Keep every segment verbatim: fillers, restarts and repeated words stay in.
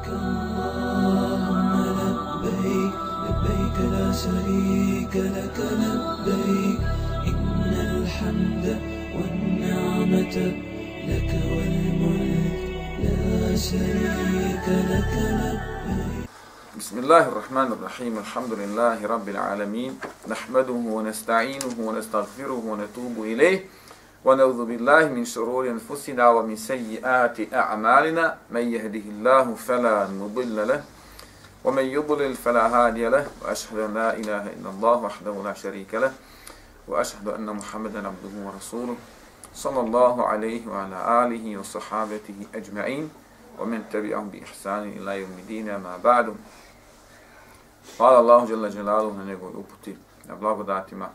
لبيك اللهم لبيك لبيك لا شريك لك لبيك إن الحمد والنعمة لك والملك لا شريك لك لبيك. بسم الله الرحمن الرحيم. الحمد لله رب العالمين، نحمده ونستعينه ونستغفره ونتوب إليه ونعوذ بالله من شرور أنفسنا ومن سيئات أعمالنا، من يهده الله فلا مضل له ومن يضلل فلا هادي له، وأشهد أن لا إله إلا الله وحده لا شريك له، وأشهد أن محمدا عبده ورسوله صلى الله عليه وعلى آله وصحابته أجمعين ومن تبعهم بإحسان إلى يوم الدين. ما بعد. Hvala Allahu dželle dželaluhu na njegovoj uputi, na blagodatima.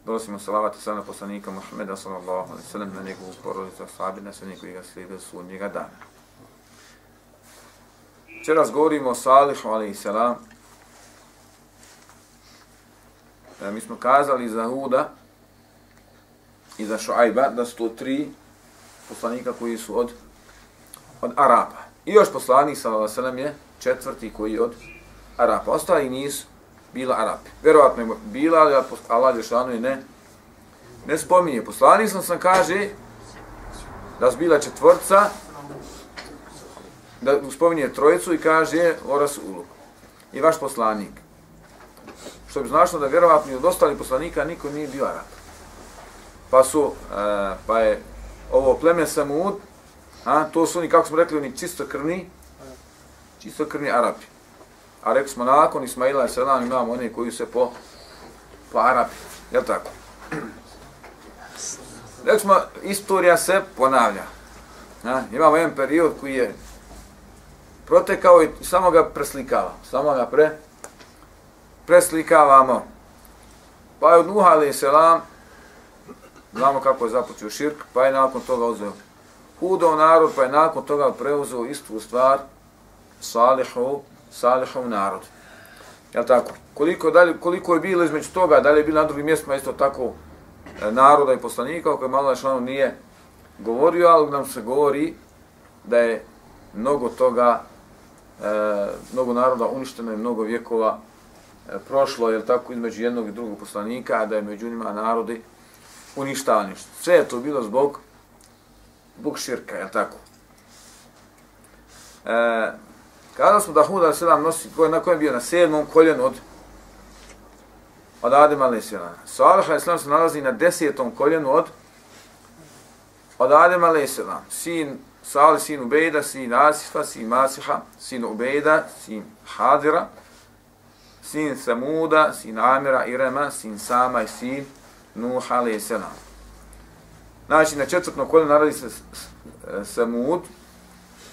Donosimo salavat i salam na poslanika Muhammeda sallallahu alejhi ve sellem, na njegovu porodicu, ashabe, na sve koji ga slijede sudnjega dana. Večeras govorimo o Salihu alejhi selam. E, mi smo kazali za Huda i za Šuajba da su to tri poslanika koji su od, od Arapa. I još poslanik sallallahu alejhi ve sellem je četvrti koji je od Arapa. Ostali nisu bila Arapi. Vjerovatno je bila, ali Allah dželešanu ne, ne spominje. Poslanik sam sam kaže da su bila četvrca, da spominje trojicu i kaže o Rasulu. I vaš poslanik. Što bi značilo da vjerovatno od ostalih poslanika niko nije bio Arap. Pa su, uh, pa je ovo pleme Samud, a, to su oni, kako smo rekli, oni čistokrvni, čistokrvni Arapi. A rekli smo nakon Ismaila alejhi selam imamo one koji se po, po Arapi. Jel' tako? Rekli smo, istorija se ponavlja. A, imamo jedan period koji je protekao i samo ga preslikava. Samo ga pre, preslikavamo. Pa je od Nuha alejhi selam, znamo kako je započeo širk, pa je nakon toga uzeo Hudov narod, pa je nakon toga preuzeo istu stvar Salihu, Salihov narod. Jel' tako? Koliko, dalje, koliko je bilo između toga, da li je bilo na drugim mjestima isto tako e, naroda i poslanika, o kojem Allah dželešanu nije govorio, ali nam se govori da je mnogo toga, e, mnogo naroda uništeno i mnogo vjekova e, prošlo, jel' tako, između jednog i drugog poslanika, a da je među njima narodi uništavani. Sve je to bilo zbog, zbog širka, jel' tako? E, Kada smo da Hud alejhi selam nosi, na kojem bio na sedmom koljenu od, od Adema alejhi selam. Salih alejhi selam se nalazi na desetom koljenu od, od Adema alejhi selam. Sin Salih, sin Ubejda, sin Asifa, sin Masiha, sin Ubejda, sin Hadira, sin Samuda, sin Amira, Irema, sin Sama i sin Nuh alejhi selam. Znači, na četvrtnom koljenu nalazi se Samud,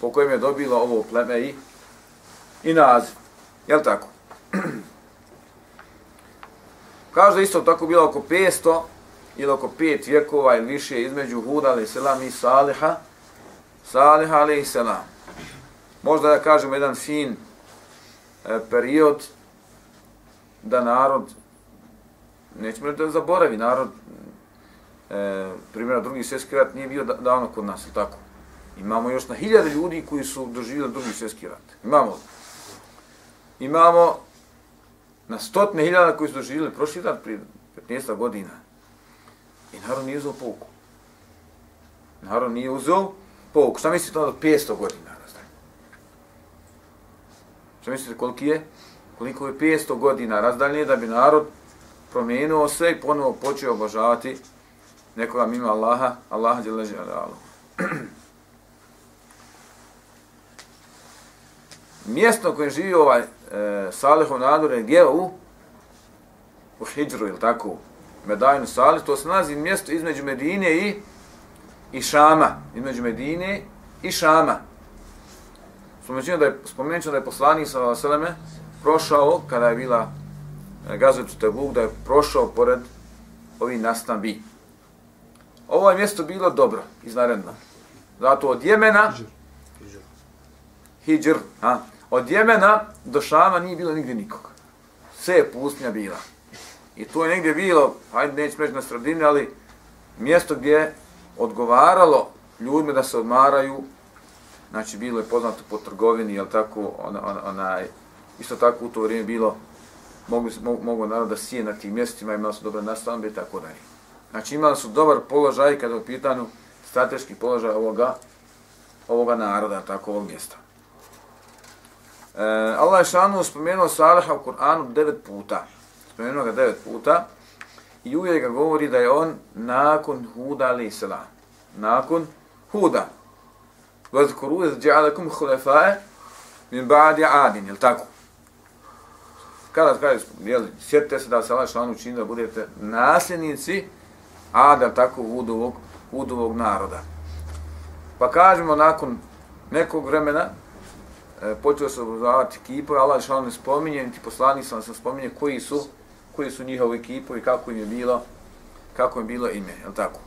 po kojem je dobilo ovo pleme i i naziv. Jel' tako? Kaže da isto tako bilo oko petsto ili oko pet vjekova ili više između Huda alejhi selam i Saliha, Saliha alejhi selam. Možda da kažemo jedan fin e, period da narod, nećemo reći da zaboravi, narod, e, primjera drugi svjetski rat nije bio davno kod nas, jel' tako? Imamo još na hiljade ljudi koji su doživjeli drugi svjetski rat. Imamo Imamo na stotine hiljada koji su doživjeli prošli rat prije petnaest godina. I narod nije uzeo pouku. Narod nije uzeo pouku. Šta mislite od petsto godina? Šta mislite koliko je? Koliko je petsto godina razdalje da bi narod promijenio se i ponovo počeo obožavati nekoga mimo Allaha, Allaha dželle dželaluhu. Mjesto koje živi ovaj e, Salihov narod je gdje u, u Hidžru, ili tako, Medajnu Salih, to se nalazi mjesto između Medine i, i Šama. Između Medine i Šama. Spomenut da je, spomenut da je poslanik sallallahu alejhi ve sellem prošao, kada je bila e, gazvetu Tebuk, da je prošao pored ovih nastambi. Ovo je mjesto bilo dobro, izvanredno. Zato od Jemena, Hidžr, a, od Jemena do Šama nije bilo nigdje nikoga. Sve je pustinja bila. I to je negdje bilo, hajde nećemo reći na sredini, ali mjesto gdje je odgovaralo ljudima da se odmaraju znači bilo je poznato po trgovini, jel tako, ona, ona, onaj, isto tako u to vrijeme bilo, mogu, mogu, mogu narod da sije na tim mjestima, imali su dobre nastanbe i tako dalje. Znači imali su dobar položaj kada je u pitanju strateški položaj ovoga, ovoga naroda, tako ovog mjesta. E, Allah je šanu spomenuo Saliha u Kur'anu devet puta. Spomenuo ga devet puta i uvijek ga govori da je on nakon Huda alaih salam. Nakon Huda. وَذْكُرُوا إِذْ جَعَلَكُمْ خُلَفَاءَ مِنْ بَعْدِ عَادٍ, jel tako? Kada kaže, jel, sjetite se da se Allah šanu čini da budete nasljednici Ada, tako Hudovog, Hudovog naroda. Pa kažemo, nakon nekog vremena e, počeo se obrazovati kipove, Allah šanu ne spominje, niti poslanik sam se spominje koji su, koji su njihovi kipovi, kako im je bilo, kako im bilo ime, jel tako?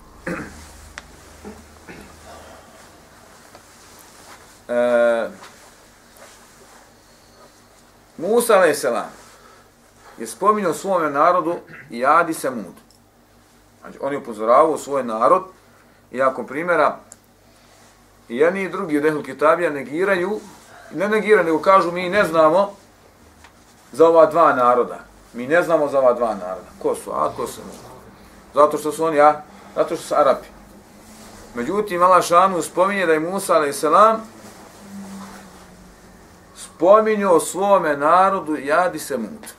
E, Musa alaih salam je spominjao svome narodu i Ad i Semud. Znači, on je upozoravao svoj narod i ako primjera i jedni i drugi od Ehlul Kitabija negiraju, ne negiraju, nego kažu mi ne znamo za ova dva naroda. Mi ne znamo za ova dva naroda. Ko su Ad, ko su Semud? Zato što su oni, ja, zato što su Arapi. Međutim, Allah šanu spominje da je Musa alaih salam spominjao svome narodu i Ad i Semud.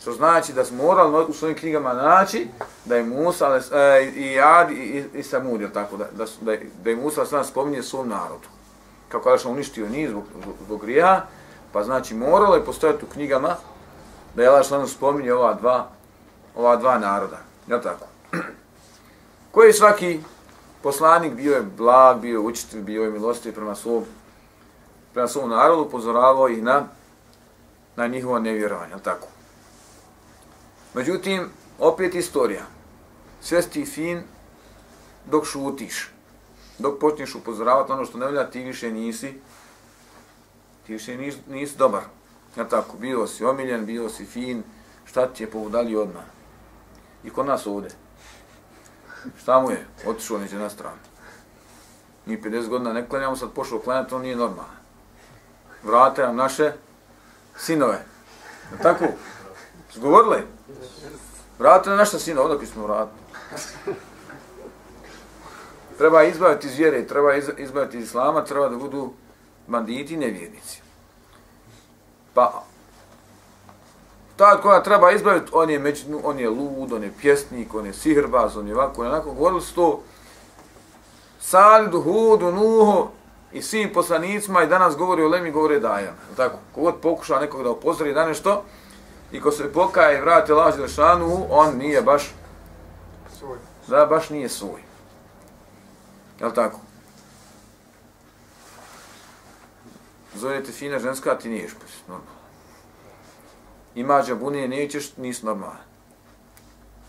Što znači da smo morali u svojim knjigama naći da je Musa e, i Ad i, i, i Semud, je tako, da, da, da, da je Musa sam spominje svom narodu. Kako je uništio njih zbog, zbog grijeha, pa znači moralo je postojati u knjigama da je Allah šanu spominje ova dva, ova dva naroda. Je tako? Koji svaki poslanik bio je blag, bio je učitelj, bio je milostiv prema svom prema svom narodu, upozoravao ih na, na njihovo nevjerovanje, je tako? Međutim, opet istorija. Sve si fin dok šutiš. Dok počneš upozoravati ono što ne volja, ti više nisi, ti više nisi, nisi dobar. Je tako? Bio si omiljen, bio si fin, šta ti je povodali odmah? I kod nas ovdje. Šta mu je? Otišao neće na stranu. Mi pedeset godina ne klanjamo, sad pošao klanjati, to nije normalno. Vrate nam naše sinove. Je tako? Zgovorili? Vrate nam naše sinove, odakle smo vratili. Treba izbaviti iz vjere, treba izbaviti iz islama, treba da budu banditi i nevjernici. Pa, taj koja treba izbaviti, on je, među, on je lud, on je pjesnik, on je sihrbaz, on je ovako, on je onako. Govorili su to Salidu, Hudu, Nuhu i svim poslanicima i danas govori o Lemi, govori Dajan. Tako, kogod pokuša nekog da upozori da nešto i ko se pokaje i vrati Allah Đelešanu, on nije baš svoj. Da, baš nije svoj. Jel' tako? Zovete fina ženska, ti niješ normalno. Ima džabunije, nećeš, nisi normalan.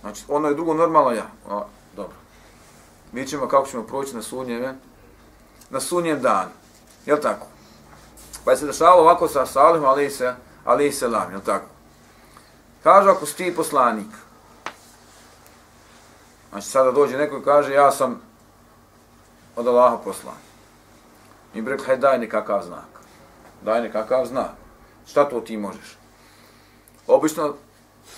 Znači, ono je drugo normalno, ja. O, dobro. Mi ćemo kako ćemo proći na sunnjeve, na sunnjem danu. Jel' tako? Pa je se dešavalo ovako sa Salihom, alejhi selam, jel' tako? Kažu, ako si ti poslanik, znači sada dođe neko i kaže, ja sam od Allaha poslan. Mi bi rekli, hajde daj nekakav znak. Daj nekakav znak. Šta to ti možeš? Obično,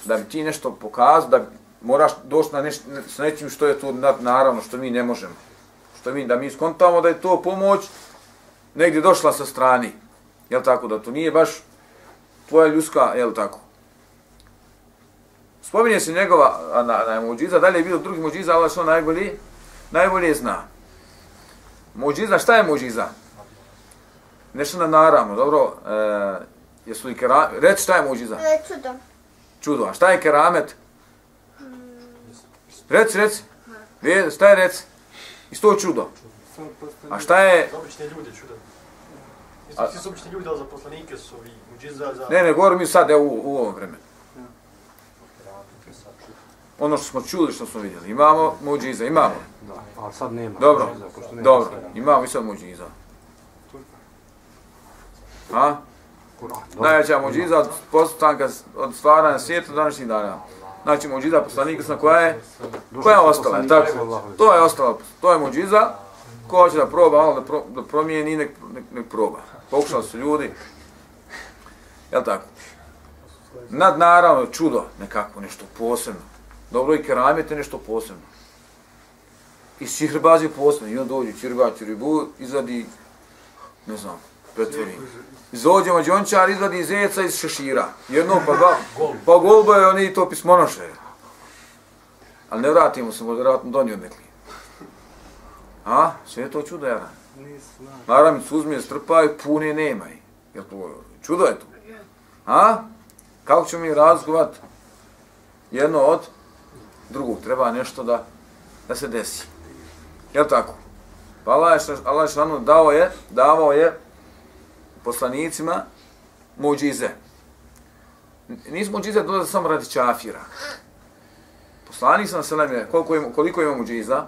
da bi ti nešto pokazao, da moraš doći na neš, s nečim što je to naravno, što mi ne možemo. Što mi, da mi skontamo da je to pomoć negdje došla sa strani. Jel' tako? Da to nije baš tvoja ljudska, jel' tako? Spominje se njegova na, na muđiza, dalje je bilo drugi muđiza, ali što najbolje, najbolje zna. Muđiza, šta je muđiza? Nešto na naravno, dobro, e, jesu li keramet, reci šta je muđiza? E, čudo. Čudo, a šta je keramet? Reci, reci. Ve, šta je reci? Isto čudo. A šta je... Obični ljudi čudo. Svi su obični ljudi, ali za poslanike su ovi muđiza za... Ne, ne, govorim mi sad, evo u, u ovom vremenu. Ono što smo čuli, što smo vidjeli. Imamo muđiza, imamo. Da, ali sad nema. Dobro, muđiza, pošto nema dobro, sada. imamo i sad muđiza. A? Kur'an. Najveća muđiza od postanka, od stvaranja svijeta današnjih dana. Znači muđiza poslanika koja je, koja je ostala, tako? To je ostala, to je muđiza. Ko hoće da proba, malo da, pro, da promijeni, nek, nek, nek proba. Pokušali su ljudi, jel tako? Nadnaravno čudo, nekako, nešto posebno. Dobro i keramete nešto posebno. I sihrbazi je posebno. I on dođe, čirba, čiribu, izvadi, ne znam, pretvori. Izođe mađončar, izvadi zeca iz šešira. Jedno pa dva, pa golba je oni to pismonoše. Ali ne vratimo se, možda vratno donio nekli. A? Sve je to čudo, jara. Maramicu uzme, strpaju, pune nemaj. Jel to čudo je to? A? Kako ćemo mi razgovat jedno od drugog? Treba nešto da, da se desi. Jel tako? Pa Allah je dao je, davao je poslanicima muđize. Nisu muđize dolaze samo radi čafira. Poslanik sam selam je, koliko ima, koliko ima muđiza?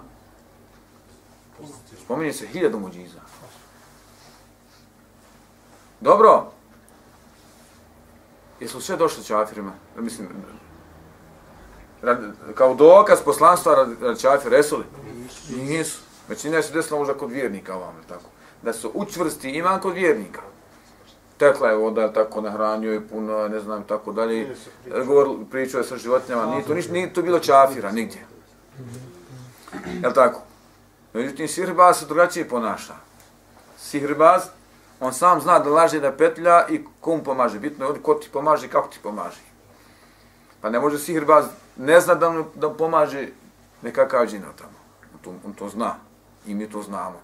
Spominje se hiljadu muđiza. Dobro. Jesu sve došli čafirima? Mislim, rad, kao dokaz poslanstva radi, radi čafira, jesu li? Nisu. Većina se desila možda kod vjernika ovam, tako. Da su učvrsti iman kod vjernika. Tekla je voda, tako nahranio je puno, ne znam, tako dalje. Govor, pričao je sa životinjama, nije to, nije to bilo čafira, nigdje. Jel' tako? Međutim, sihrbaz se drugačije ponaša. Sihrbaz, on sam zna da laže, da petlja i ko mu pomaže. Bitno je ko ti pomaže i kako ti pomaže. Pa ne može sihrbaz, ne zna da, da pomaže nekakav džina tamo. On to, on to zna i mi to znamo.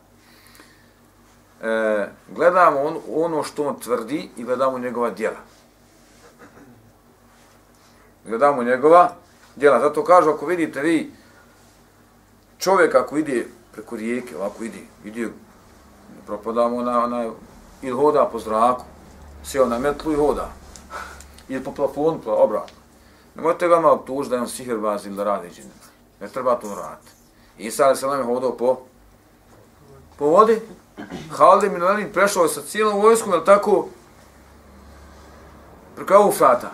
E, gledamo on, ono što on tvrdi i gledamo njegova djela. Gledamo njegova djela. Zato kažu, ako vidite vi čovjek ako ide preko rijeke, ovako ide, ide, propadamo na, na, ili hoda po zraku, sjeo na metlu i hoda. Ili po plafonu, obratno. Nemojte ga malo optužiti da je on sihirbaz ili da radi džine. Ne treba to raditi. Isa alaih selam je hodao po, po vodi. Halid ibn Velid prešao je sa cijelom vojskom, jel tako, preko Eufrata.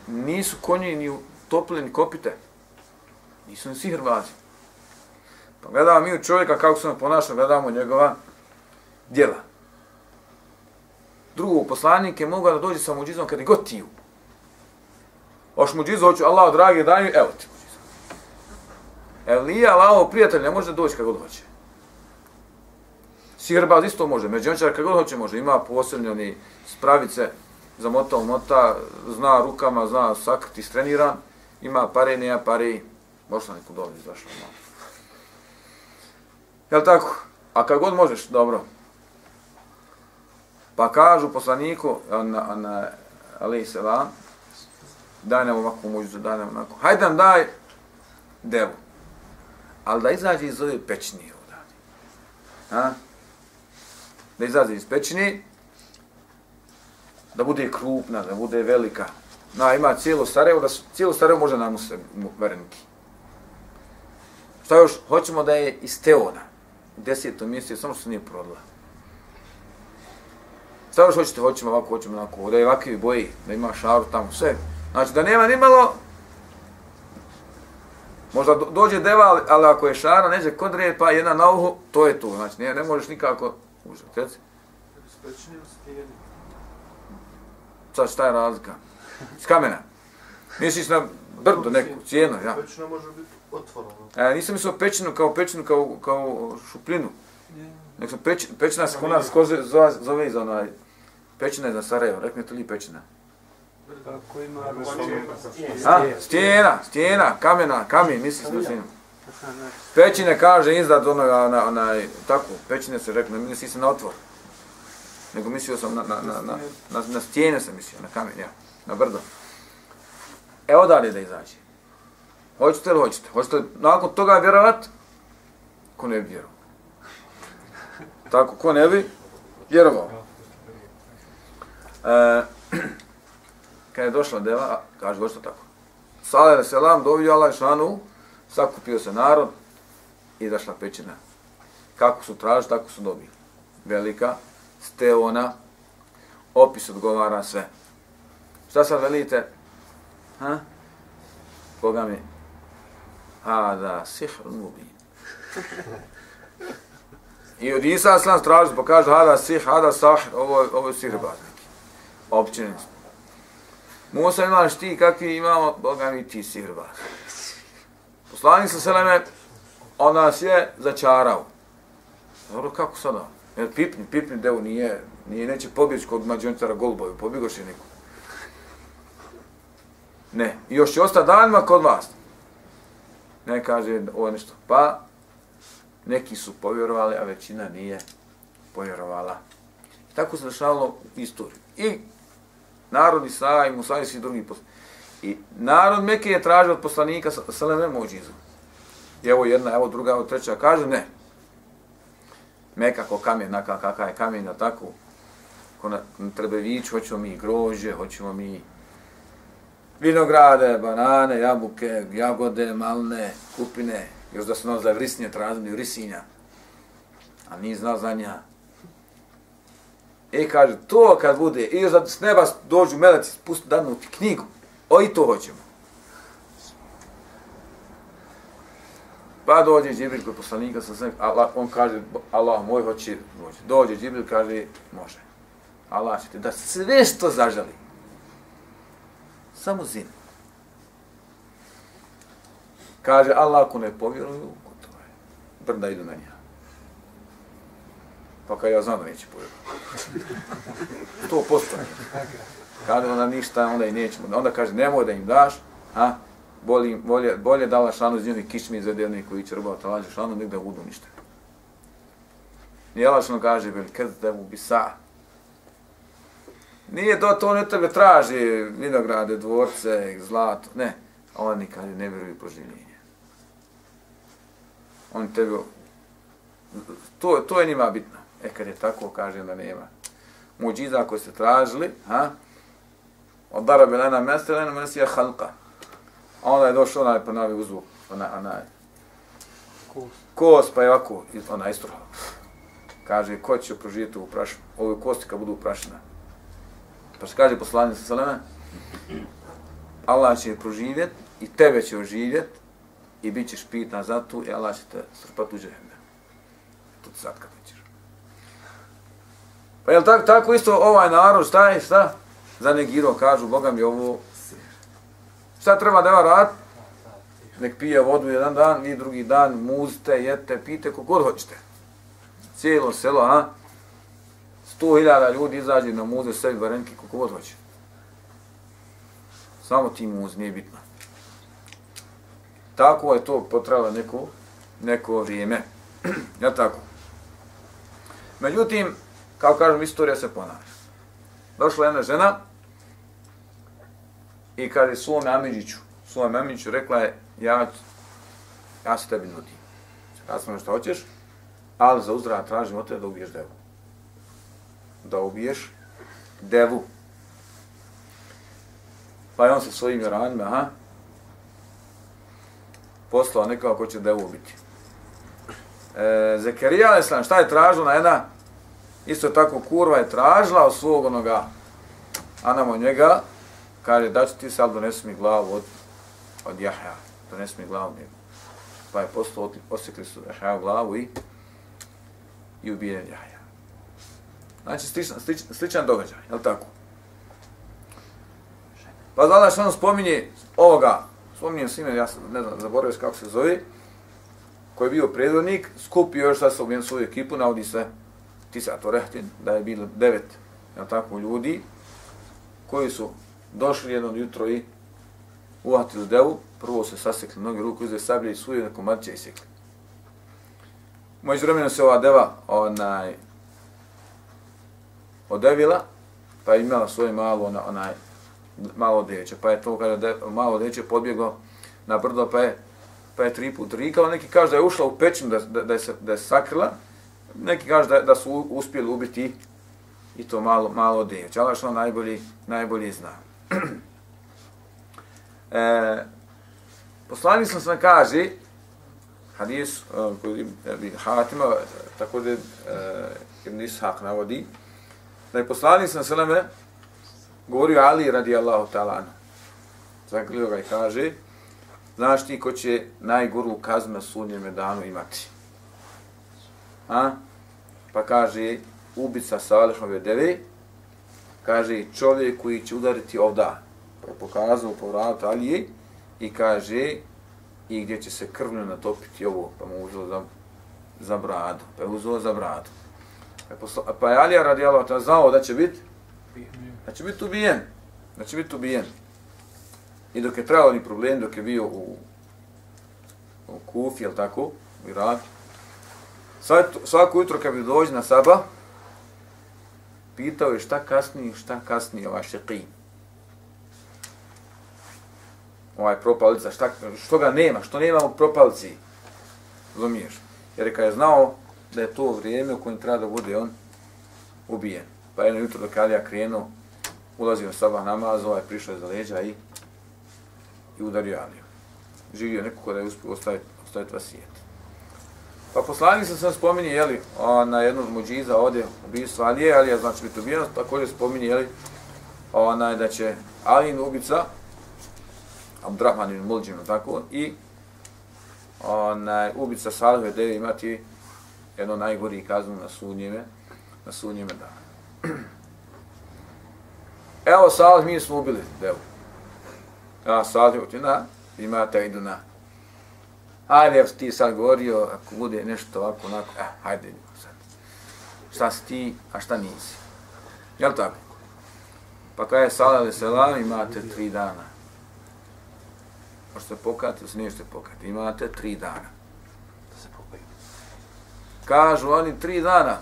Nisu konji ni utopili ni kopite. Nisu ni sihirbazi. Pa gledamo mi u čovjeka kako se on ponaša, gledamo njegova djela. Drugo, poslanik je mogao da dođe sa muđizom kada god tiju. Oš muđizu, hoću, Allah, dragi, daj mi, evo ti muđizu. Elija, Allahov prijatelj, ne može da doći kada god hoće. Sihirbaz isto može, međunačar kada god hoće može. Ima posebne oni spravice, zamotao mota, zna rukama, zna sakriti, streniran. Ima pare, nema pare, možda neku dobro izašao malo. Jel' tako? A kad god možeš, dobro. Pa kažu poslaniku, na, na, alaih selam, daj nam ovakvu muđizu, daj nam onako. Hajde nam daj devu. Ali da izađe iz ove pećnije odavde. Ha? Da izađe iz pećnije, da bude krupna, da bude velika. Na, ima cijelo Sarajevo, da su, cijelo Sarajevo može nam se vereniki. Šta još? Hoćemo da je iz Teona. U desetom mjesecu, samo što se nije prodala. Šta još hoćete? Hoćemo ovako, hoćemo onako, da je ovakvi boji, da ima šaru tamo, sve. Znači da nema ni malo, možda dođe deva, ali ako je šara, neđe kodre, pa jedna na uhu, to je to. Znači ne, ne možeš nikako užati. Reci? Spečeni u stijeni. Sad šta je razlika? Iz kamena. Misliš na brdo neku, cijenu, ja. Pećina može biti otvorena. E, nisam mislio pećinu kao pećinu, kao, kao šuplinu. Nek sam peć, pećina se kod nas koze, zove, zove iz onaj, pećina je za Sarajevo, rekne to li pećina? Tako ima A, stijena, stijena, kamena, kamen, misliš na stijenu. Pećine kaže iznad onoga, ona, onaj, tako, pećine se rekne, ne misli se na otvor. Nego mislio sam na, na, na, na, na, na stijene sam mislio, na kamen, ja, na brdo. E, odalje da izađe. Hoćete li hoćete? Hoćete li nakon toga vjerovat? Ko ne bi vjerovao? Tako, ko ne bi vjerovao? E, kad je došla deva, kaže, došlo tako. Salih selam, dovio Allah šanu, sakupio se narod i izašla pećina. Kako su tražili, tako su dobili. Velika, steona, opis odgovara sve. Šta sad velite? Ha? Koga mi? Hada sihrun mubin. I od Isa slan straži pa kaže hada sih, hada sahir, ovo, ovo je sihirbaz neki. Općenjen smo. Musa imaš ti kakvi imamo, Boga mi ti sihirbaz. Poslanik sa seleme, on nas je začarao. Dobro, kako sada? Jer pipni, pipni devu nije, nije neće pobjeći kod mađonitara Golboju, pobjegoš je neko. Ne, i još će ostati danima kod vas. Ne kaže ovo nešto. Pa, neki su povjerovali, a većina nije povjerovala. I tako se dešavalo u istoriju. I narod Isa i Musa i svi drugi poslanici. I narod Mekke je tražio od poslanika seleme muđizu. I evo jedna, evo druga, evo treća, kaže ne. Meka ko kamen, naka kakav je kamen, tako. Ko na, na Trebeviću, hoćemo mi grožđe, hoćemo mi vinograde, banane, jabuke, jagode, malne, kupine. Još da su nas za vrisnje tražili, vrisinja. A nije znao za nja. I kaže, to kad bude, i još da s neba dođu meleci, spusti danuti knjigu. O, i to hoćemo. Pa dođe Džibril kod poslanika, Allah, on kaže, Allah moj hoće dođe. Dođe Džibril, kaže, može. Allah će ti da sve što zaželi. Samo zim. Kaže, Allah ako ne povjeruju, gotovo je. Brda idu na nja. Pa kad ja znam da neće povjeruju. To postoje. Kaže onda ništa, onda i nećemo. Onda kaže, nemoj da im daš, a? Bolje, bolje, bolje dala šanu iz njih kičmi izvede oni koji će robati talađe šanu, nek da budu ništa. Jelačno kaže, vel kezdemu bisa. Nije to, to ne tebe traži vinograde, dvorce, zlato, ne. Oni kaže, ne vjeruju proživljenje. Oni tebe, to, to je njima bitno. E kad je tako, kaže da nema. Muđiza koji ste tražili, ha? Od darabe lena mesta, lena mesta je halka. A onda je došao onaj pa navi uzvuk, onaj, onaj, kos, pa je ovako, onaj istruhao. Kaže, ko će proživjeti u prašinu? Ove kosti kad budu uprašina. Pa se kaže poslanik sa seleme, Allah će je proživjet i tebe će oživjet i bit ćeš pitan za tu i Allah će te strpati u džehennem. To ti sad kad nećeš. Pa je li tako, tako isto ovaj narod, šta je, šta? Zanegirao, kažu, Boga mi ovo, šta treba da rad? Nek pije vodu jedan dan, vi drugi dan, muzite, jete, pijte, kogod hoćete. Cijelo selo, a? Sto hiljada ljudi izađe na muze sebi barenke, kogod hoće. Samo ti muz, nije bitno. Tako je to potrebalo neko, neko vrijeme. Ja tako. Međutim, kao kažem, istorija se ponavlja. Došla jedna žena i kaže svome Amidžiću, svome Amidžiću rekla je, ja, ja se tebi nudim. Ja sam što hoćeš, ali za uzdrav tražim od tebe da ubiješ devu. Da ubiješ devu. Pa je on sa svojim ranima, aha, poslao nekoga ko će devu ubiti. E, Zekerija alejselam, šta je tražila na jedna? Isto tako kurva je tražila od svog onoga, a namo njega, kaže, da ću ti sad donesi mi glavu od, od Jahja, donesi mi glavu njega. Pa je poslao, osjekli su Jahja glavu i, i ubijen Jahja. Znači, sličan, sličan, sličan događaj, je li tako? Pa znala što on spominje ovoga, spominjem s ime, ja sam, ne znam, zaboravio kako se zove, koji je bio predvodnik, skupio još sad sa svoju ekipu, navodi se Tisa Torehtin, da je bilo devet, je li tako, ljudi, koji su došli jedno jutro i uvatili devu, prvo se sasekli noge ruku, uzeli sablje i suju na komadće i sekli. Moći vremena se ova deva onaj, odevila, pa je imala svoje malo, onaj, malo djeće, pa je to kada de, malo djeće podbjeglo na brdo, pa je, pa je tri put rikala, neki kaže da je ušla u pećinu, da, da, da, je, se, da je sakrila, neki kaže da, da su uspjeli ubiti i to malo, malo djeće, ali što najbolji, najbolji zna. e, Poslanik sam sam kaže, hadis uh, koji Ibn Hatima, također uh, Ibn Ishaq navodi, da je poslanik sam sveme govorio Ali radijallahu ta'ala anhu. Zaklio ga i kaže, znaš ti ko će najgoru kaznu na sudnjem danu imati? A? pa kaže ubica Salihove deve, kaže čovjek koji će udariti ovda, pa je pokazao po vratu Alije i kaže i gdje će se krvno natopiti ovo, pa mu uzelo za, za bradu, pa je uzelo za bradu. Pa je, posla, pa je Alija radijallahu ta'ala znao da će biti, da će biti ubijen, da će biti ubijen. I dok je trajao ni problem, dok je bio u, u Kufi, jel tako, u Iraku, svako jutro kad bi dođe na sabah, pitao je šta kasnije, šta kasnije ovaj šeqin. Ovaj propalica, šta, što ga nema, što nema u propalici. Razumiješ? Jer kad je znao da je to vrijeme u kojem treba da bude on ubijen. Pa jedno jutro dok Alija krenuo, ulazio na sabah namaz, ovaj prišao iza leđa i, i udario Aliju. Živio neko da je uspio ostaviti, ostaviti vasijet. Pa poslanik sam sam spominje, jeli, na jednu od muđiza ovdje ubijstvo Alije, Alija znači biti ubijen, također spominje, jeli, onaj, da će Alijin ubica, Abdurrahman ibn Muljim, tako, i onaj, ubica Salihove deve imati jedno najgori kaznu na sudnjeme, na sudnjeme dana. Evo Salih, mi smo ubili devu. Ja Salih utina, imate idu na. Hajde, evo ti sad govorio, ako bude nešto ovako, onako, eh, hajde sad. Šta si ti, a šta nisi? Jel' tako? Pa kada je Salih alaih selam, imate tri dana. Možete pokati, ili se nećete pokati. Imate tri dana. Kažu oni tri dana.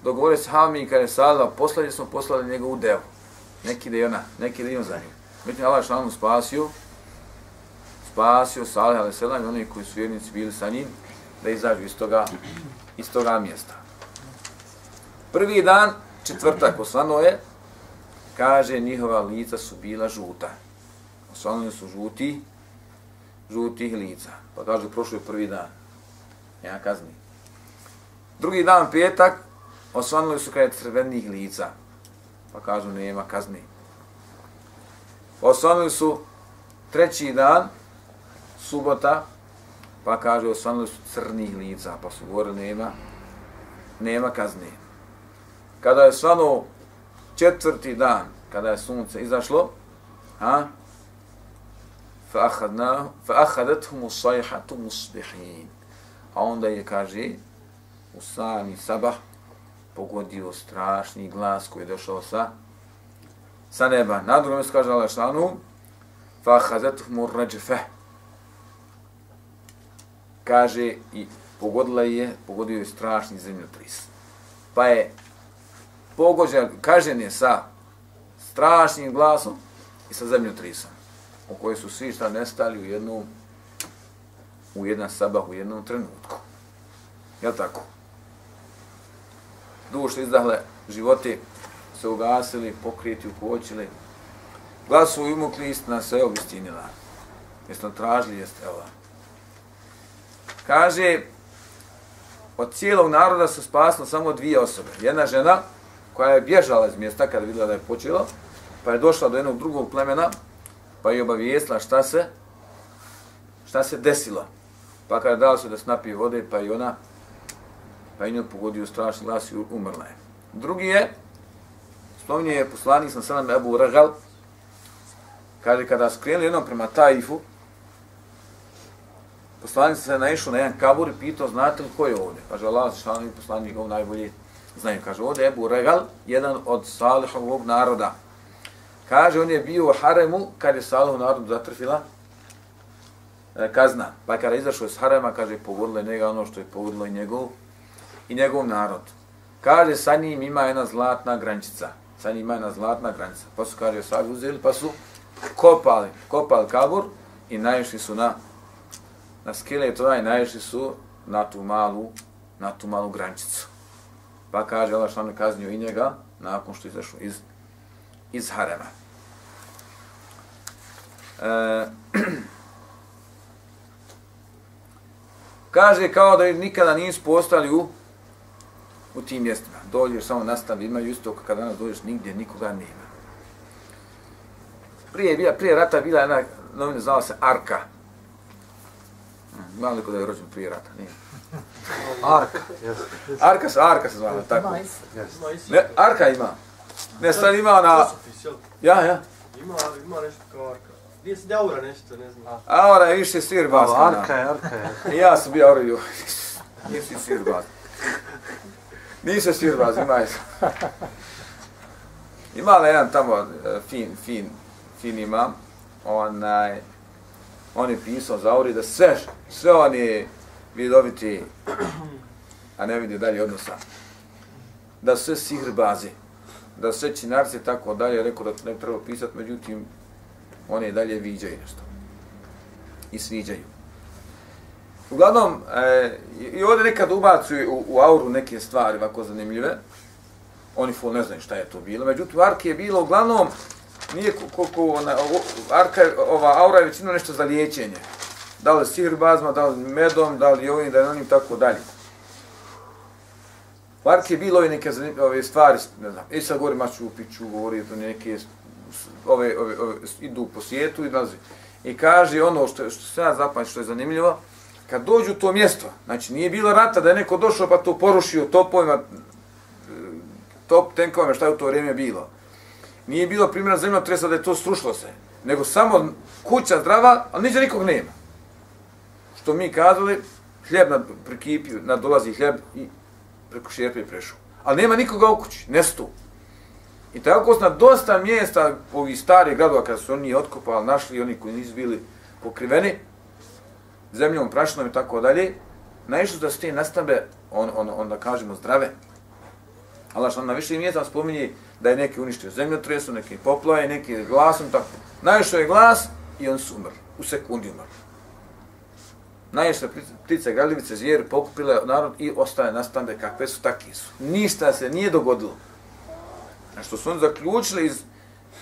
Dogovore se Hami kada je Salih, poslali smo poslali njegovu devu. Neki da je ona, neki da je on za njim. Međutim, Allah šalom spasio, spasio Salih alaih selam i oni koji su vjernici bili sa njim, da izađu iz toga, iz toga mjesta. Prvi dan, četvrtak, osvano je, kaže, njihova lica su bila žuta. Osvanuli su žuti, žutih lica. Pa kažu, prošlo je prvi dan. Nema kazni. Drugi dan, petak, osvanuli su kada crvenih lica. Pa kažu, nema kazni. Osvanuli su treći dan, subota, pa kažu, osvanuli su crnih lica. Pa su govorili, nema, nema kazni. Kada je osvanuo četvrti dan, kada je sunce izašlo, a, فَأَخَذَتْهُمُ الصَّيْحَةُ مُصْبِحِينَ. A onda je, kaže, u sami sabah pogodio strašni glas koji je došao sa, sa neba. Na drugom mjestu kaže Allah šanu, فَأَخَذَتْهُمُ الرَّجْفَةُ. Kaže, i pogodila je, pogodio je strašni zemljotris. Pa je pogođen, kažen je sa strašnim glasom i sa zemljotrisom, u kojoj su svi šta nestali u jednu, u jedan sabah, u jednom trenutku. Jel' tako? Duše izdahle, životi se ugasili, pokriti, ukočili. Glasu umukli, istina sve obistinila. Jeste on tražili, jeste, evo. Kaže, od cijelog naroda su spasno samo dvije osobe. Jedna žena koja je bježala iz mjesta kada vidjela da je počelo, pa je došla do jednog drugog plemena, pa je obavijestila šta se, šta se desilo. Pa kada je dala se da se napije vode, pa i ona, pa i nju pogodio strašni glas i umrla je. Drugi je, spominje je poslanik sam sallam Ebu Regal, kaže kada su krenuli jednom prema Taifu, poslanik se naišao na jedan kabur i pitao, znate li ko je ovdje? Kaže Allah, šalani poslanik, ovo najbolje znaju. Kaže, ovdje je Ebu Regal, jedan od Salihovog naroda. Kaže, on je bio u haremu kad je Salihov narodu zatrfila e, kazna. Pa kada je izašao iz harema, kaže, pogodilo je njega ono što je pogodilo i njegov, i njegov narod. Kaže, sa njim ima jedna zlatna grančica. Sa njim ima jedna zlatna granica. Pa su, kaže, sabi uzeli, pa su kopali, kopali kabur i naišli su na, na skeletova i naišli su na tu malu, na tu malu grančicu. Pa kaže, Allah što nam je kaznio i njega nakon što je izašao iz, iz harema. E, kaže kao da nikada nisu postali u, u tim mjestima. Dođeš samo nastavi, imaju isto kada danas dođeš nigdje, nikoga nema. Prije, bila, prije rata bila jedna novina, zvala se Arka. Ima li ko da je rođen prije rata? Nije. Arka, jes. Arka se, Arka se zvala, tako. Ima Isus. Ne, Arka ima. Ne, sad ima ona... Časopis, jel? Ja, ja. Ima, ima nešto kao Arka. Gdje se Aura nešto, ne znam. Aura je više sirbas. Arka je, Arka je. I ja sam bio Aura, joj. Nisi sirbas. Nisam sirbas, ima je. Ima li jedan tamo fin, fin, fin imam, onaj, on je pisao za Auri da sve, sve oni vidoviti, a ne vidi dalje odnosa, da sve sihrbazi, da sve činarci i tako dalje, rekao da ne treba pisati, međutim, oni dalje viđaju nešto i sviđaju. Uglavnom, e, i ovdje nekad ubacuju u, u Auru neke stvari ovako zanimljive, oni ful ne znaju šta je to bilo, međutim, u Arki je bilo uglavnom, nije koliko ona, Arka, ova Aura je većinu nešto za liječenje. Da li sihirbazma, da li medom, da li ovim, da li onim, tako dalje. U Arki je bilo ove neke ove stvari, ne znam, i sad govori Maču Piću, govori to neke, ove, ove, ove, idu po svijetu i nazi. I kaže ono što, što se ja zapamću, što je zanimljivo, kad dođu u to mjesto, znači nije bilo rata da je neko došao pa to porušio topovima, top tenkovima, šta je u to vrijeme bilo. Nije bilo primjera zemljotresa da je to srušilo se, nego samo kuća zdrava, ali niđe nikog nema. Što mi kazali, hljeb nad prekipio, nadolazi hljeb i preko šerpe prešao. Ali nema nikoga u kući, nestu. I tako na dosta mjesta ovih starih gradova, kada su oni otkopali, našli oni koji nisu bili pokriveni, zemljom, prašinom i tako dalje, naišli da su te nastambe, on, on, on da kažemo, zdrave. Allah što na više mjesta spominje da je neki uništio zemljotresu, neki poplave, neki glasom, tako. Naišao je glas i on su umrli, u sekundi umrli. Naišle ptice, gradivice, zvijeri, pokupile narod i ostaje nastambe kakve su, takvi su. Ništa se nije dogodilo. A što su oni zaključili iz,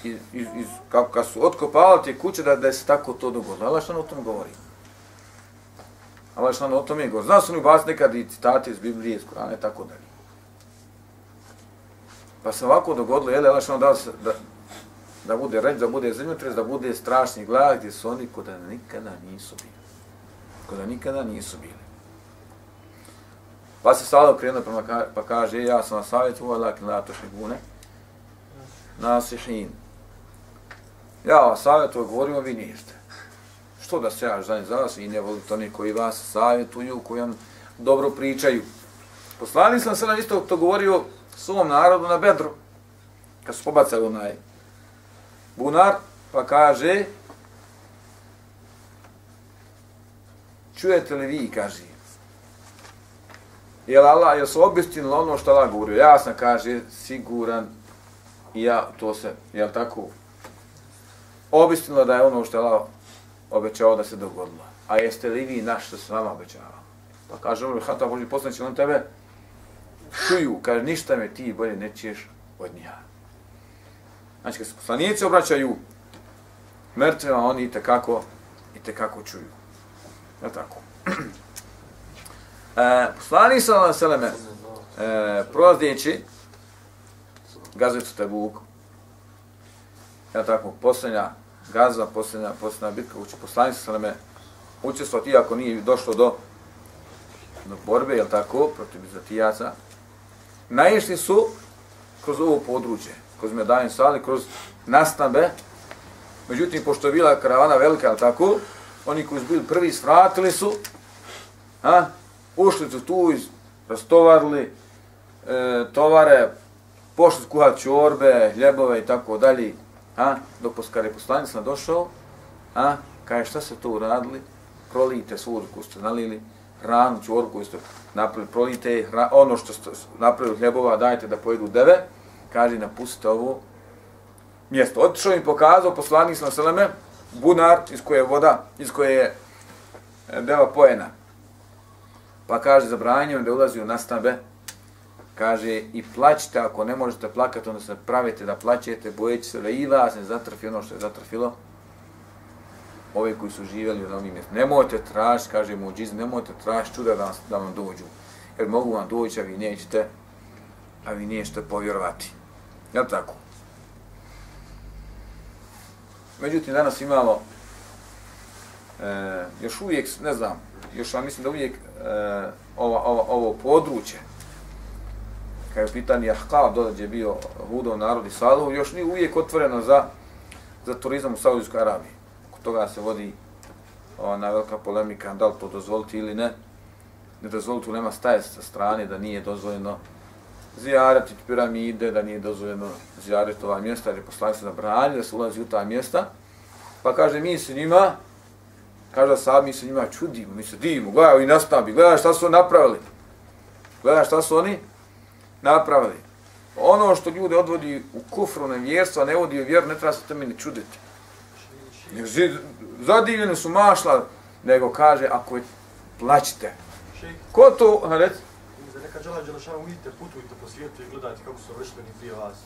iz, iz, iz kako kad su otkopali te kuće da, da je se tako to dogodilo. Allah što o tom govori. Allah što o tom je govori. Znao su oni ubaciti nekad i citate iz Biblije, iz Kurana i tako dalje. Pa se ovako dogodilo, jel, Allah što da, da, da bude reč, da bude zemljotres, da bude strašni glad gdje su oni koda nikada nisu bili. Koda nikada nisu bili. Pa se sada okrenuo prema pa kaže, ja sam vas savjetovao, lakin la tušibune, nasihin. Ja vas savjetovao, govorimo, vi niste. Što da se ja žalim za vas i ne volite oni koji vas savjetuju, koji vam dobro pričaju. Poslanik sam sada isto to govorio svom narodu na Bedru, kad su pobacali onaj bunar, pa kaže, čujete li vi, kaže, jel Allah, jel su obistinili ono što Allah govorio? Ja sam, kaže, siguran i ja to se, jel tako, obistinilo da je ono što Allah obećao da se dogodilo. A jeste li vi naš što se vama obećava? Pa kaže, ono, hata Boži poslanici, on tebe čuju, kaže, ništa me ti bolje ne čuješ od njiha. Znači, kad se poslanici obraćaju mrtvima, oni i tekako, i tekako čuju. Je tako? E, poslanik sallallahu alejhi ve selleme e, prolazeći gazetu Tebuk, je tako, posljednja gazva, posljednja, posljednja bitka, uči poslanik sallallahu alejhi ve selleme učestvovati, iako nije došlo do, do borbe, je tako, protiv Bizantijaca, naišli su kroz ovo područje, kroz Medain Sali, kroz nastambe, međutim, pošto je bila karavana velika, je tako, oni koji su bili prvi svratili su, a, ušli su tu, rastovarili e, tovare, pošli su kuhati čorbe, hljebove i tako dalje, a, dok kad je poslanik sam došao, a, kaže šta se to uradili, prolijte svu koju ste nalili, hranu, čorbu koju ste napravili, prolijte hra, ono što ste napravili hljebova, dajte da pojedu deve, kaže napustite ovo mjesto. Otišao im pokazao poslanik sam seleme, bunar iz koje je voda, iz koje je deva pojena. Pa kaže, zabranjeno da ulazi u nastambe, kaže, i plaćite, ako ne možete plakati, onda se pravite da plaćete, bojeći se da i vas ne zatrfi ono što je zatrfilo ove koji su živjeli na ovim mjestima. Nemojte tražiti, kaže muđizm, nemojte tražiti čuda da, da vam dođu, jer mogu vam doći, a vi nećete, a vi nećete povjerovati. Jel tako? Međutim, danas imamo e, još uvijek, ne znam, još ja mislim da uvijek e, ova, ova, ovo područje, kada je pitanje Ahqab, dole gdje je bio Hudov narod i Salihov, još nije uvijek otvoreno za, za turizam u Saudijskoj Arabiji. Oko toga se vodi ona velika polemika, da li to dozvoliti ili ne. Ne dozvoliti, nema staje sa strane da nije dozvoljeno zijarati piramide, da nije dozvoljeno zijarati ova mjesta, jer je poslanik se zabrani da se ulazi u ta mjesta. Pa kaže, mi se njima, kaže sad, mi se njima čudimo, mi se divimo, gledaj, i nastavi, gledaj šta su oni napravili. Gledaj šta su oni napravili. Ono što ljude odvodi u kufru, nevjerstvo, ne vodi u vjeru, ne treba se tome ni čuditi. Zadivljeni su mašla, nego kaže, ako je, plaćite. Ko to, reci? Za neka džela Đelešanu vidite, putujte po svijetu i gledajte kako su vršteni prije vas.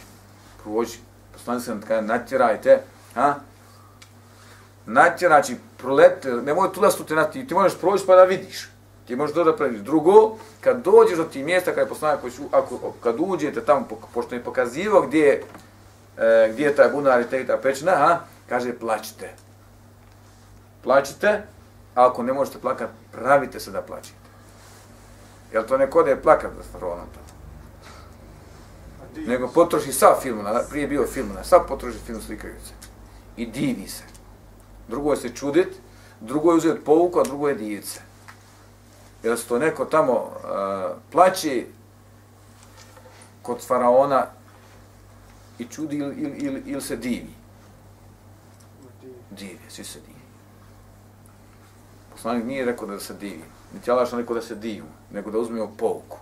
Prođi, poslani se kada natjerajte, ha? Natjerači, prolete, nemoj tu da su te nati, ti možeš proći pa da vidiš. Ti možeš to da praviš. Drugo, kad dođeš do tih mjesta, kada je poslanik koji su, ako, kad uđete tamo, pošto je pokazivao gdje, e, gdje je taj bunar i te ta pećina, ha? Kaže, plaćite. Plaćite, a ako ne možete plakati, pravite se da plaćite. Jel to neko da je plakat za faraonom to? Nego potroši sav film, prije bio film, sav potroši film slikajuće. I divi se. Drugo je se čudit, drugo je uzeti pouku, a drugo je divit se. Jer se to neko tamo uh, plaći kod faraona i čudi ili il, il, il se divi. Divi, svi se divi. Poslanik nije rekao da se divi, niti Allah što rekao da se divu, nego da uzmemo pouku.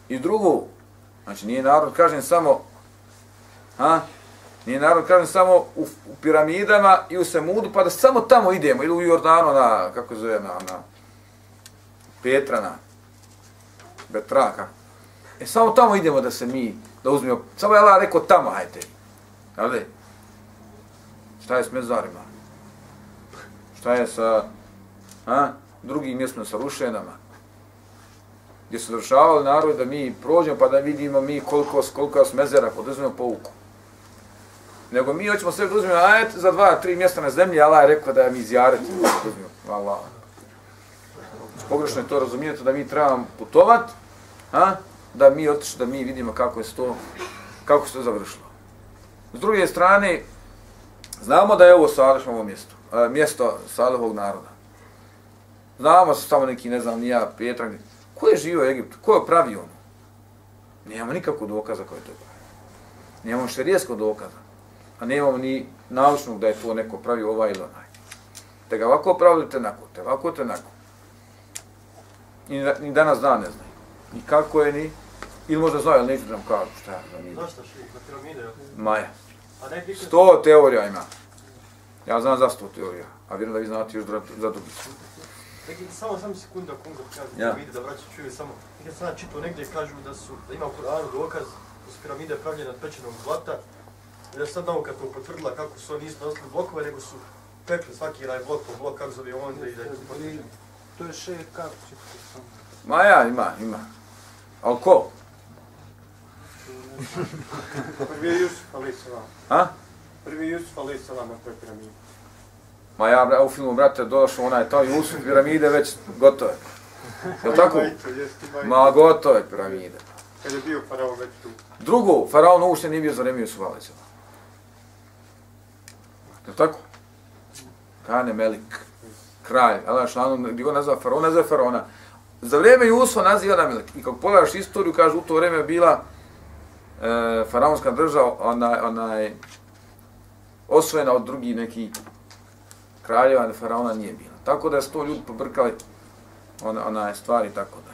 I drugo, znači nije narod kažem samo, ha? Nije narod kažem samo u, u piramidama i u Semudu, pa da samo tamo idemo, ili u Jordanu na, kako zove, na, na Petrana, Betraka. E samo tamo idemo da se mi, da uzmemo, samo je Allah rekao tamo, hajte. Jel' šta je s mezarima? Šta je sa a, drugim mjestima, sa rušenama? Gdje su završavali narod da mi prođemo pa da vidimo mi koliko, koliko s mezera, poduzmemo pouku. Nego mi hoćemo sve da uzmemo, ajte za dva, tri mjesta na zemlji, Allah je rekao da mi izjareti. Allah. Pogrešno je to razumijete da mi trebamo putovat, a, da mi otišli, da mi vidimo kako je to, kako se to završilo. S druge strane, znamo da je ovo Salihovo mjesto, a, mjesto Salihovog naroda. Znamo se samo neki, ne znam, nija Petra. Ko je živio u Egiptu? Ko je pravio ono? Nemamo nikakvog dokaza ko je to pravio. Nemamo šerijskog dokaza. A nemamo ni naučnog da je to neko pravio ovaj ili onaj. Te ga ovako pravili, te nako, te ovako, te nako. I ni danas dan ne znaju. Ni kako je, ni... Ili možda znaju, ali neću da nam kažu šta je piramida. Zašto šli? Na piramide? Maja. Sto teorija ima. Ja znam za sto teorija, a vjerujem da vi znate još za drugi. Samo sam sekunda, kunga, kažu ja. Piramide, da vraću čuju samo. Nekad sam čitao negdje kažu da su, da ima u Kur'anu dokaz da su piramide pravljene od pečenog zlata. I da sad nauka to potvrdila kako su oni nisu nosili blokove, nego su pekli svaki raj blok po blok, kako zove onda i da je to potvrđeno. To je še, kako će to samo? Ma ja, ima, ima. Ali ko? Prvi je Jusuf alaih salam. A? Prvi je Jusuf alaih salam na toj piramidi. Ma ja u filmu, brate, došao onaj taj Jusuf, piramide već gotove. Je li tako? Ma gotove piramide. Kad je bio faraon već tu. Drugo, faraon uopšte nije bio za vreme Jusufa alaih salam. Je li tako? Kane Melik, kralj, Allah šlanu, gdje go nazva faraona, nazva faraona. Za vrijeme Jusufa naziva na Melik. I kako pogledaš istoriju, kaže, u to vrijeme je bila e, faraonska država, onaj, onaj, osvojena od drugih nekih kraljeva, da faraona nije bila. Tako da su to ljudi pobrkali ona, onaj stvari i tako da.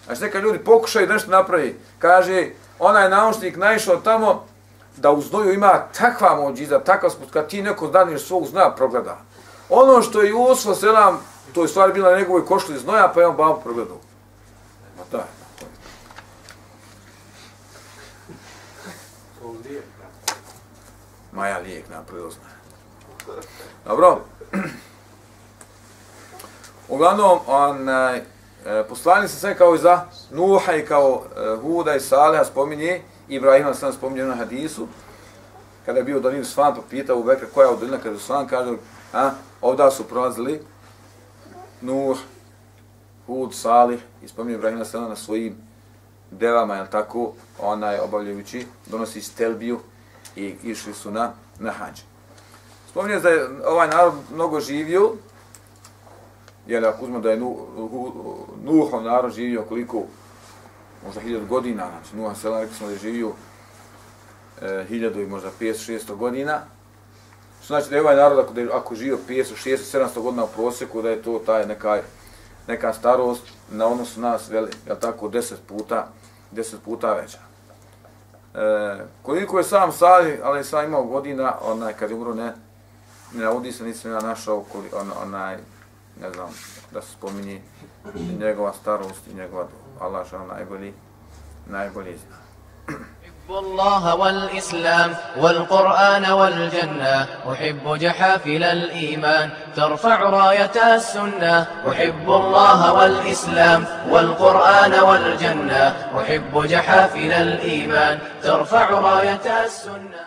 Znači neka ljudi pokušaju nešto napravi. Kaže, onaj naučnik naišao tamo da u znoju ima takva mođiza, takav sput, kad ti neko daneš svog znoja progleda. Ono što je Jusuf selam, to je stvari bila na njegovoj košli znoja, pa je on babu progledao. Ma da, to je. Ma ja lijek napravio znoja. Dobro. Uglavnom, onaj, poslani se sve kao i za Nuha i kao Huda i Saliha spominje, Ibrahima sam spominje na hadisu, kada je bio u dolini Svan, pitao u Bekra koja je u dolina kada je Svan, kaže, a, ovdje su prolazili Nuh, Hud, Salih, i spominje Ibrahima Sela na svojim devama, jel tako, onaj obavljajući, donosi stelbiju i išli su na, na hađ. Spominje da je ovaj narod mnogo živio, jer ako uzmemo da je Nuhov narod živio koliko, možda hiljadu godina, znači Nuh Sela, rekli smo da je živio e, hiljadu i možda petsto šesto godina, znači da je ovaj narod ako, da je, ako živio petsto šesto sedamsto godina u prosjeku, da je to taj neka, neka starost na odnosu nas, veli, jel tako, deset puta, deset puta veća. E, koliko je sam Salih, ali sam imao godina, onaj, kad je umro, ne, ne navodi se, nisam ja našao, koli, on, onaj, ne znam, da se spominje njegova starost i njegova doba. Allah što najbolji, najbolji zna. أحب الله والإسلام والقرآن والجنة أحب جحافل الإيمان ترفع راية السنة أحب الله والإسلام والقرآن والجنة أحب جحافل الإيمان ترفع راية السنة